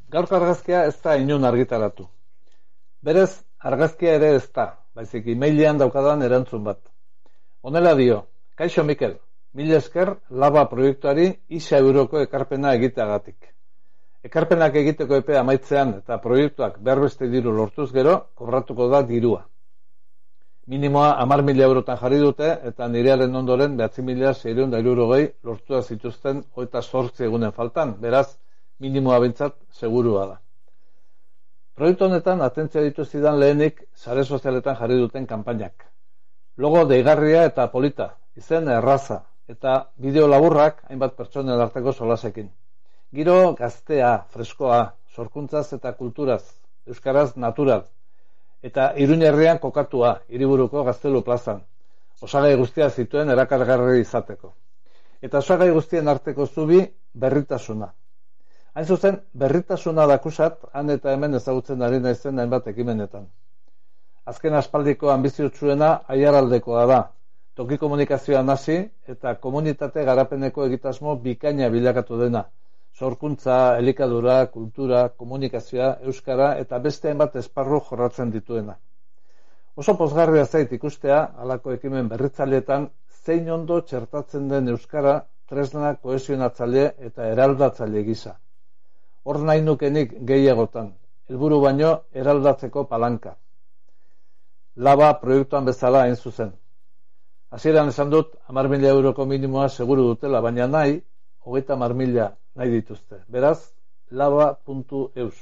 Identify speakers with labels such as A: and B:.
A: Gaurko argazkia ez da inon argitaratu. Berez, argazkia ere ez da, baizik emailean daukadan erantzun bat. Honela dio, kaixo Mikel, 1000 esker Laba proiektuari 1.000 euroko ekarpena egiteagatik. Ekarpenak egiteko epea amaitzean eta proiektuak berbeste diru lortuz gero, kobratuko da dirua. Minimoa 10.000 eurotan jarri dute eta nirearen ondoren 9.660 lortua zituzten 28 egunen faltan, beraz, minimoa bintzat segurua da. Proiektu honetan atentzia dituzidan lehenik sare sozialetan jarri duten kanpainak. Logo deigarria eta polita, izen erraza, eta bideo laburrak hainbat pertsonen arteko solasekin. Giro gaztea, freskoa, sorkuntzaz eta kulturaz, euskaraz natural, eta Iruñerrian kokatua, hiriburuko Gaztelu plazan. Osagai guztia zituen erakargarri izateko. Eta osagai guztien arteko zubi berritasuna. Hain zuzen, berritasuna dakusat, han eta hemen ezagutzen ari naizen hainbat ekimenetan. Azken aspaldiko anbiziotsuena aiaraldekoa da, toki komunikazioan hasi eta komunitate garapeneko egitasmo bikaina bilakatu dena. Sorkuntza, elikadura, kultura, komunikazioa, euskara eta beste hainbat esparru jorratzen dituena. Oso pozgarria zait ikustea, halako ekimen berritzaileetan, zein ondo txertatzen den euskara tresna kohesionatzaile eta eraldatzaile gisa. Hor nahi nukenik gehiagotan, helburu baino eraldatzeko palanka. Laba proiektuan bezala hain zuzen. Hasieran esan dut 10.000 euroko minimoa seguru dutela, baina nahi 30.000 nahi dituzte. Beraz, laba.eus.